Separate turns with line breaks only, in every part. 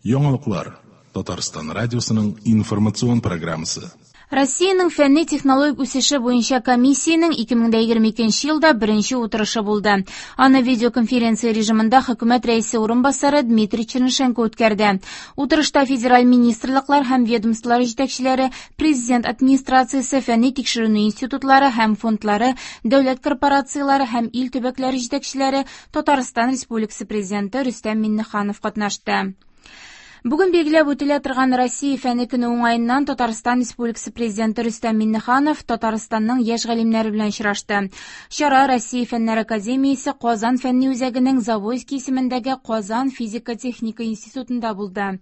Яңалыклар. Татарстан радиосының информацион программасы.
Россиянең фәнни-технологик үсеше буенча комиссиянең 2022 елда беренче утырышы булды. Аны видеоконференция режимында хөкүмәт рәисе урынбасары Дмитрий Чернышенко үткәрде. Утырышта федераль министрлыклар һәм ведомстволар җитәкчеләре, президент администрациясе, фәнни тикшеренү институтлары һәм фондлары, дәүләт корпорацияләре һәм ил төбәкләре җитәкчеләре, Татарстан Республикасы Президенты Рөстәм Миңнеханов катнашты. Бүген билгеләп үтелә торган Россия фәне көне уңаеннан Татарстан Республикасы Президенты Рөстәм Миңнеханов Татарстанның яшь галимнәре белән очрашты. Чара Россия Фәннәр академиясе Казан фәнни үзәгенең Завойский исемендәге Казан физика-техника институтында булды.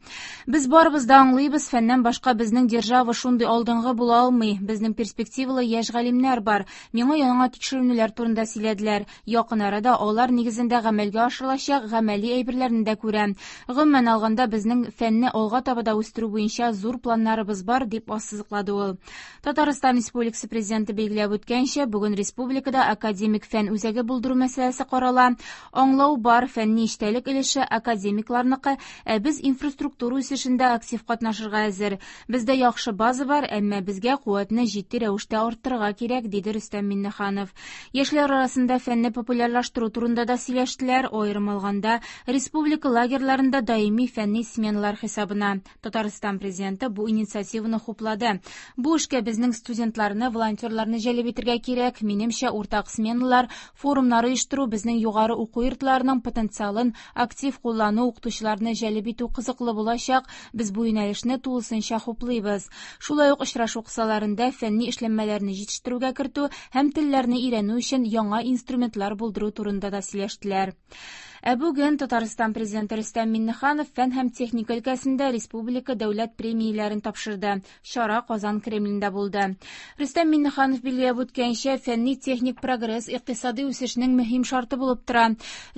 Без барыбыз да аңлыйбыз, фәннән башка безнең держава шундый алдынгы була алмый. Безнең перспективалы яшь галимнәр бар. Миңа яңа тикшеренүләр турында сөйләделәр. Якын арада алар нигезендә гамәлгә ашырылачак гамәли әйберләрне дә күрәм. Гомумән алганда, безнең фәнне алга таба да үстерү буенча зур планнарыбыз бар, дип ассызыклады ул. Татарстан Республикасы Президенты билгеләп үткәнчә, бүген республикада академик фән үзәге булдыру мәсьәләсе карала. Аңлау бар, фәнни эчтәлек өлеше академикларныкы, ә без инфраструктура үсешендә актив катнашырга әзер. Бездә яхшы база бар, әмма безгә куәтне җитди рәвештә арттырырга кирәк, диде Рөстәм Миңнеханов. Яшьләр арасында фәнне популярлаштыру турында да сөйләштеләр, аерым алганда, республика лагерьларында даими фәнни сменалар хисабына. Татарстан Президенты бу инициативаны хуплады. Бу эшкә безнең студентларны, волонтерларны җәлеп итергә кирәк. Минемчә, уртак сменалар, форумнар оештыру, безнең югары уку йортларының потенциалын актив куллану, укытучыларны җәлеп итү кызыклы булачак. Без бу юнәлешне тулысынча хуплыйбыз. Шулай ук очрашу кысаларында фәнни эшләнмәләрне җитештерүгә кертү һәм телләрне өйрәнү өчен яңа инструментлар булдыру турында да сөйләштеләр. Ә бүген Татарстан Президенты Рөстәм Миңнеханов фән һәм техника өлкәсендә республика дәүләт премияләрен тапшырды. Чара Казан Кремлендә булды. Рөстәм Миңнеханов билгеләп үткәнчә, фәнни-техник прогресс икътисади үсешнең мөһим шарты булып тора.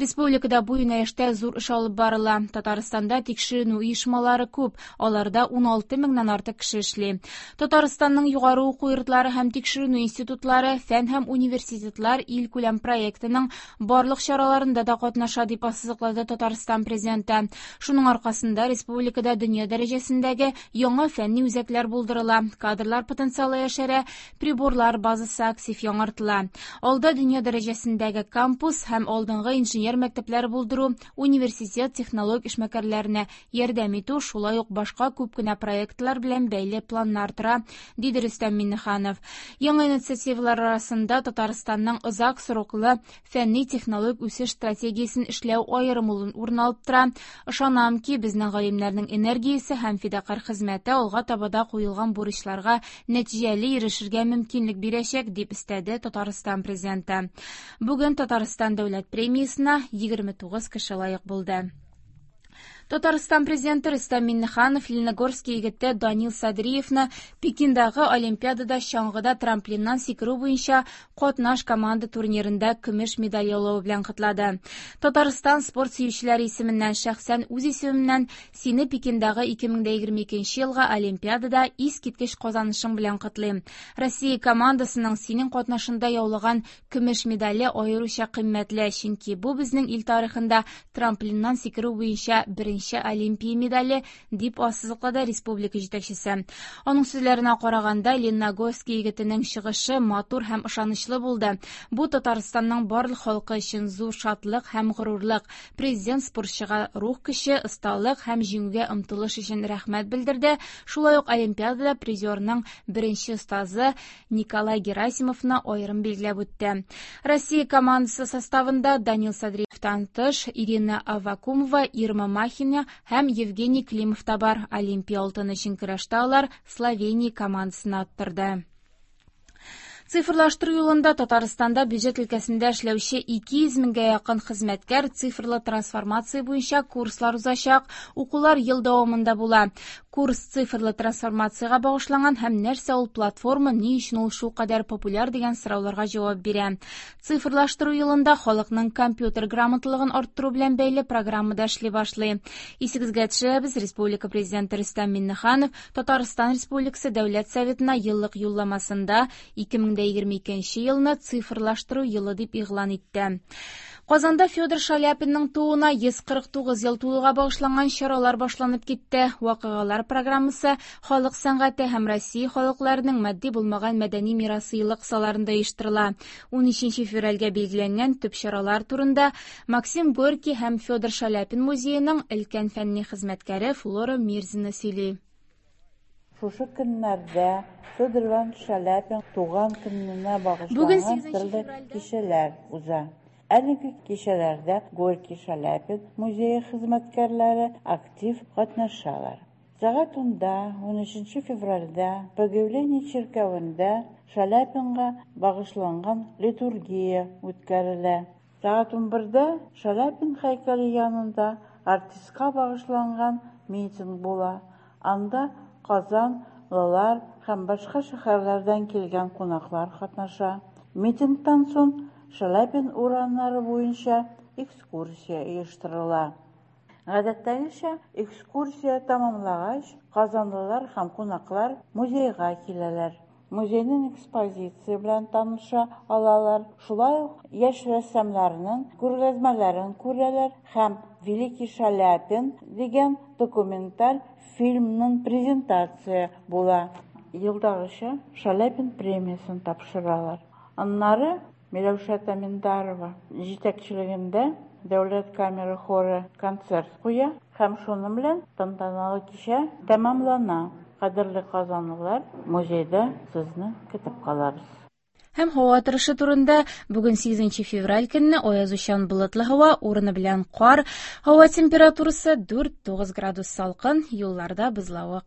Республикада бу юнәлештә зур эш алып барыла. Татарстанда тикшеренү оешмалары күп, аларда 16 меңнән артык кеше эшли. Татарстанның югары уку йортлары һәм тикшеренү институтлары фән һәм университетлар илкүләм проектының барлык чараларында да катнаша, дип ассызыклады Татарстан Президенты. Шуның аркасында республикада дөнья дәрәҗәсендәге яңа фәнни үзәкләр булдырыла, кадрлар потенциалы яшәрә, приборлар базасы актив яңартыла. Алда дөнья дәрәҗәсендәге кампус һәм алдынгы инженер мәктәпләре булдыру, университет технологик эшмәкәрләренә ярдәм итү, шулай ук башка күп кенә проектлар белән бәйле планнар тора, диде Рөстәм Миңнеханов. Яңа инициативалар арасында Татарстанның озак сроклы фәнни-технологик үсеш стратегиясен эшләү аерым урын алып тора. Ышанам ки, безнең галимнәрнең энергиясе һәм фидакарь хезмәте алга таба да куелган бурычларга нәтиҗәле ирешергә мөмкинлек бирәчәк, дип өстәде Татарстан Президенты. Бүген Татарстан дәүләт премиясенә 29 кеше лаек булды. Татарстан Президенты Рөстәм Миңнеханов Лениногорский егете Данил Садриевны Пекиндагы Олимпиадада чаңгыда трамплиннан сикерү буенча катнаш команда турнирында көмеш медаль яулавы белән котлады. Татарстан спорт сөючеләре исеменнән, шәхсән үз исемемнән сине Пекиндагы 2022 елгы Олимпиадада искиткеч казанышың белән котлыйм. Россия командасының синең катнашында яулаган көмеш медале аеруча кыйммәтле, чөнки бу безнең ил тарихында трамплиннан сикерү буенча беренче Олимпия медале, дип ассызыклады республика җитәкчесе. Аның сүзләренә караганда, Лениногорский егетенең чыгышы матур һәм ышанычлы булды. Бу Татарстанның барлык халкы өчен зур шатлык һәм горурлык. Президент спортчыга рух көче, осталык һәм җиңүгә омтылыш өчен рәхмәт белдерде. Шулай ук Олимпиадада призерның беренче остазы Николай Герасимовны аерым билгеләп үтте. Россия командасы составында Данил Садриевтан тыш Ирина Аввакумова, Ирма Махина һәм Евгений Климов та бар. Олимпия алтыны өчен көрәштә алар Словения командасына оттырды. Цифрлаштыру юлында Татарстанда бюджет өлкәсендә эшләүче 200 меңгә якын хезмәткәр цифрлы трансформация буенча курслар узачак. Укулар ел дәвамында була. Курс цифрлы трансформациягә багышланган һәм нәрсә ул платформа, ни өчен ул шулкадәр популяр дигән сорауларга җавап бирә. Цифрлаштыру юлында халыкның компьютер грамоталыгын арттыру белән бәйле программа да эшли башлый. Исегезгә төшерәбез, Республика Президенты Рөстәм Миңнеханов Татарстан Республикасы Дәүләт Советына еллык юлламасында 2022 елны цифрлаштыру елы дип игълан итте. Казанда Федор Шаляпинның тууына 149 ел тулуга багышланган чаралар башланып китте. Вакыйгалар программасы Халык сәнгате һәм Россия халыкларының матди булмаган мәдәни мирасы елы кысаларында оештырыла. 13 февральгә билгеләнгән төп чаралар турында Максим Горький һәм Федор Шаляпин музееның өлкән фәнни хезмәткәре Флора Мирзина сөйли.
Шушы көннәрдә Федор Иванович Шаляпин туган көненә
Бүген
багышланган
8
төрле
февральдә
кичәләр уза. Әлеге кичәләрдә Горький Шаляпин музее хезмәткәрләре актив катнашалар. Сәгать 10-да, 13 февральдә Богоявление чиркәвендә Шаляпинга багышланган литургия үткәрелә. Сәгать 11-дә Шаляпин һәйкәле янында артистка багышланган митинг була. Анда Казан-лылар һәм башка шәһәрләрдән килгән кунаклар катнаша. Митингтан соң Шаляпин урамнары буенча экскурсия оештырыла. Гадәттәгечә, экскурсия тәмамлангач, казанлылар һәм кунаклар музейга киләләр. Музейның экспозиция белән таныша алалар, шулай ук яшь рәссамнарның күргәзмәләрен күрәләр һәм «Великий Шаляпин» дигән документаль фильмның презентация була. Елдагыча, Шаляпин премиясен тапшыралар. Аннары Миләүшә Таминдарова җитәкчелегендә Дәүләт камера хоры концерт куя һәм шуның белән тантаналы кичә тәмамлана. Кадерле казанлылар, музейда сезне көтеп калабыз.
Һәм һава торышы турында бүген 8 февраль көнне аязучан болытлы һава, урыны белән кар, һава температурасы 4-9 градус салкын, юлларда бозлавык.